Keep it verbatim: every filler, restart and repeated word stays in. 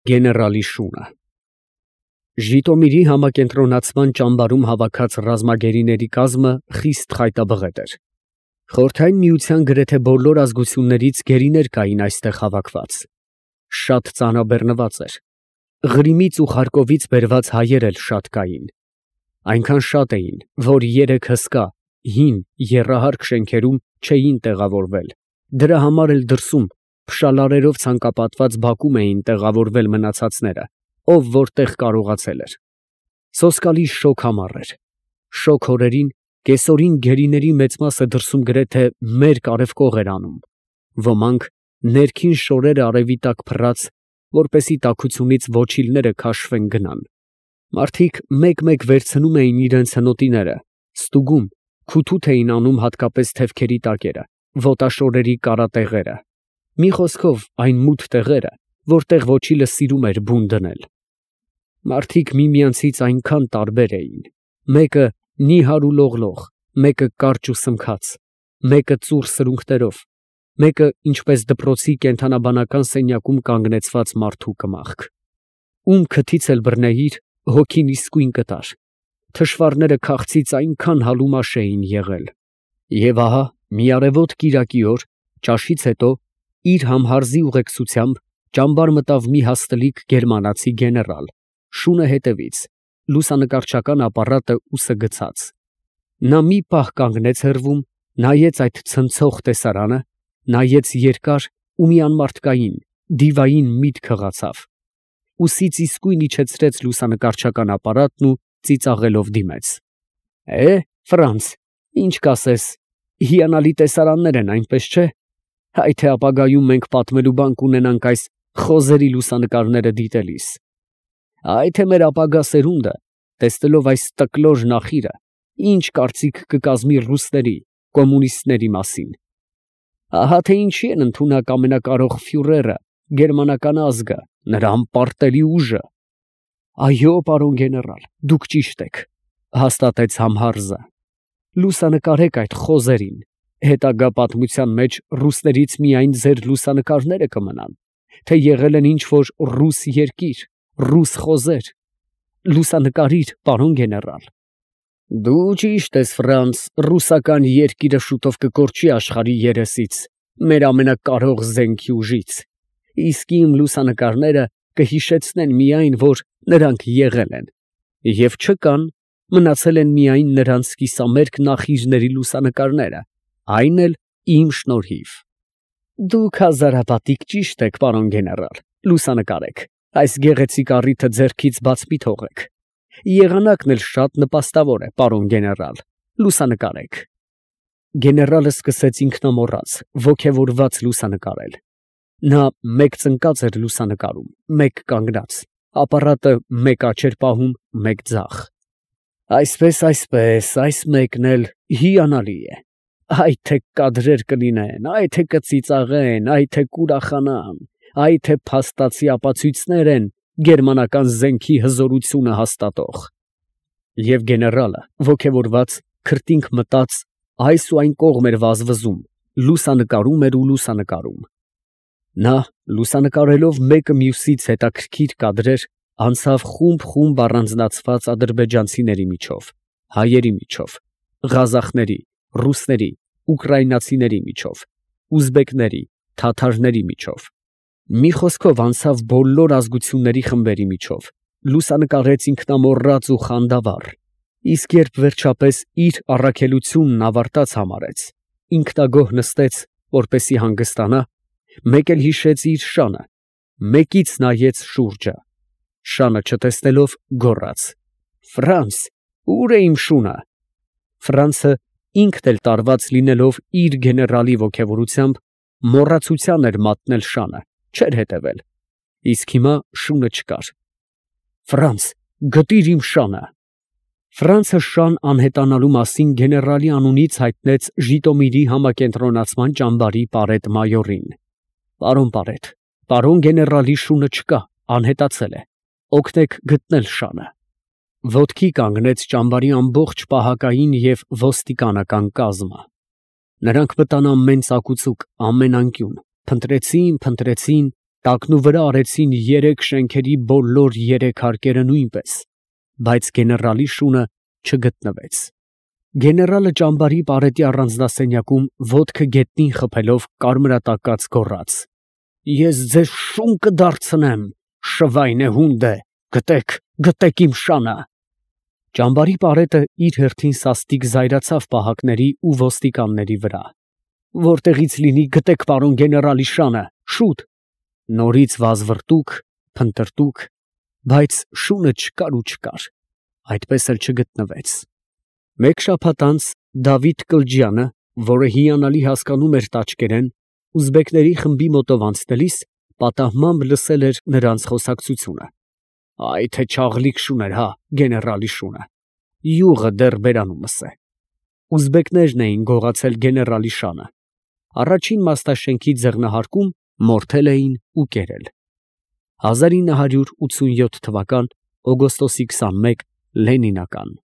Գեներալի շունը Ժիտոմիրի համակենտրոնացման ճամբարում հավաքած ռազմագերիների կազմը խիստ խայտաբղետ էր։ Խորհրդային Միության գրեթե բոլոր ազգություններից գերիներ կային այստեղ հավաքված։ Շատ ծանրաբեռնված էր։ Ղրիմից ու Խարկովից բերված հայեր էլ շատ կային։ Այնքան շատ էին, որ երեք հսկա, հին, եռահարկ շենքերում չէին տեղավորվել, դրա համար էլ դրսում փշալարերով ցանկապատված բակում էին տեղավորվել մնացածները, ով որտեղ կարողացել էր։ Սոսկալի շոգ ամառ էր։ Շոգ օրերին կեսօրին գերիների մեծ մասը դրսում գրեթե մերկ արևկող էր անում։ Ոմանք ներքին շորերը արևի տակ փռած, որպեսզի տաքությունից ոչիլները քաշվեն գնան։ Մարդիկ մեկ֊մեկ վերցնում էին իրենց հնոտիները, ստուգում, քութութ էին անում հատկապես թևքերի տակերը, ոտաշորերի կարատեղերը։ Մի խոսքով այն մութ տեղերը, որտեղ ոչիլը սիրում էր բուն դնել։ Մարդիկ միմյանցից այնքան տարբեր էին։ Մեկը նիհար ու լողլող, մեկը կարճ ու սմքած, մեկը ծուռ սրունքներով, մեկը ինչպես դպրոցի կենդանաբանական սենյակում կանգնեցված մարդու կմախք։ Ում քթից էլ բռնեիր, հոգին իսկույն կտար։ Թշվառները քաղցից այնքան հալումաշ էին եղել։ Եվ ահա մի արևոտ կիրակի օր, ճաշից հետո, իր համհարզի ուղեկցությամբ ճամբար մտավ մի հաստլիկ գերմանացի գեներալ, շունը հետևից, լուսանկարչական ապարատը ուսը գցած։ Նա մի պահ կանգնեց հեռվում, նայեց այդ ցնցող տեսարանը, նայեց երկար ու մի անմարդկային, դիվային միտք հղացավ։ Ուսից իսկույն իջեցրեց լուսանկարչական ապարատն ու ծիծաղելով դիմեց։ Է, Ֆրանց, ինչ կասես, հիանալի տեսարաններ են, այնպես չէ՞։ Հայ թե ապագայում մենք պատմելու բան կունենանք այս խոզերի լուսանկարները դիտելիս։ Այ թե մեր ապագա սերունդը, տեսնելով այս տկլոր նախիրը, ինչ կարծիք կկազմի ռուսների, կոմունիստների մասին։ Ահա թե ինչի են ընդունակ ամենակարող ֆյուրերը, գերմանական ազգը, նրա անպարտելի ուժը։ Այո, պարոն գեներալ, դուք ճիշտ եք, հաստատեց Համհարզը։ Լուսանկարեք այդ խոզերին, հետագա պատմության մեջ ռուսներից միայն ձեր լուսանկարները կմնան, թե եղել են ինչ-որ ռուս երկիր, ռուս խոզեր։ Լուսանկարիր, պարոն գեներալ։ Դու ճիշտ ես, Ֆրանց, ռուսական երկիրը շուտով կկորչի աշխարհի երեսից, մեր ամենակարող զենքի ուժից, իսկ իմ լուսանկարները կհիշեցնեն միայն, որ նրանք եղել են, և չկան, մնացել են միայն նրանց կիսամերկ նախիժների լուսանկարները, այն էլ իմ շնորհիվ։ Դուք հազարապատիկ ճիշտ եք, պարոն գեներալ, լուսանկարեք, այս գեղեցիկ առիթը ձեռքից բաց մի թողեք։ Եղանակն էլ շատ նպաստավոր է, պարոն գեներալ, լուսանկարեք։ Գեներալը սկսեց ինքնամոռաց, ոգևորված լուսանկարել։ Նա մեկ ծնկած էր լուսանկարում, մեկ կանգնած, ապարատը մեկ աջ էր պահում, մեկ ձախ։ Այսպես, այսպես, այս մեկն էլ հիանալի է։ Այ թե կադրեր կլինեն, այ թե կծիծաղեն, այ թե կուրախանան, այ թե փաստացի ապացույցներ են գերմանական զենքի հզորությունը հաստատող։ Եվ գեներալը, ոգևորված, քրտինք մտած, այս ու այն կողմ էր վազվզում, լուսանկարում էր ու լուսանկարում։ Նա, լուսանկարելով մեկը մյուսից հետաքրքիր կադրեր, անցավ խումբ֊խումբ առանձնացված ադրբեջանցիների միջով, հայերի միջով, ղազախների, ռուսների, ուկրաինացիների միջով, ուզբեկների, թաթարների միջով։ Մի խոսքով անցավ բոլոր ազգությունների խմբերի միջով, լուսանկարեց ինքնամոռաց ու խանդավառ, իսկ երբ վերջապես իր առաքելությունն ավարտած համարեց, ինքնագոհ նստեց, որպեսզի հանգստանա, մեկ էլ հիշեց իր շանը, մեկից նայեց շուրջը, շանը չտեսնելով գոռաց. Ֆրանց, ո՞ւր է իմ շունը։ Ֆրանցը ինքն էլ տարված լինելով իր գեներալի ոգևորությամբ, մոռացության էր մատնել շանը, չէր հետևել, իսկ հիմա շունը չկար։ Ֆրանց, գտիր իմ շանը։ Ֆրանցը շան անհետանալու մասին գեներալի անունից հայտնեց Ժիտոմիրի համակենտրոնացման ճամբարի պարետ֊մայորին։ Պարոն պարետ, պարոն գեներալի շունը չկա, անհետացել է, օգնեք գտնել շանը։ Ոտքի կանգնեց ճամբարի ամբողջ պահակային և ոստիկանական կազմը։ Նրանք մտան ամեն ծակուցուկ, ամեն անկյուն, փնտրեցին, փնտրեցին, Տակնու վրա արեցին երեք շենքերի բոլոր երեք հարկերը նույնպես, բայց գեներալի շունը չգտնվեց։ Գեներալը ճամբարի պարետի առանձնասենյակում ոտքը գետնին խփելով կարմրատակած գոռաց. «Ես ձեզ շուն կդարձնեմ, շվայնե հունդ է, գտեք, գտեք իմ շանը»։ Ճամբարի պարետը իր հերթին սաստիկ զայրացավ պահակների ու ոստիկանների վրա։ «Որտեղից լինի, գտեք պարոն գեներալի շանը, շուտ»։ Նորից վազվռտուք, փնտրտուք, բայց շունը չկար ու չկար, այդպես էլ չգտնվեց։ Մեկ շաբաթ անց Դավիթ Կլջյանը, որը հիանալի հասկանում էր տաճկերեն, ուզբեկների խմբի մոտով անցնելիս պատահմամբ լսել էր նրանց խոսակցությունը։ «Այ թե չաղլիկ շուն էր, հա, գեներալի շունը, յուղը դեռ բերանումս է»։ Ուզբեկներն էին գողացել գեներալի շանը։ Առաջին մաստաշենքի ձեռնահարկում մորթել էին ու կերել։ հազար ինը հարյուր ութսունյոթ թվական օգոստոսի քսանմեկ Լենինական։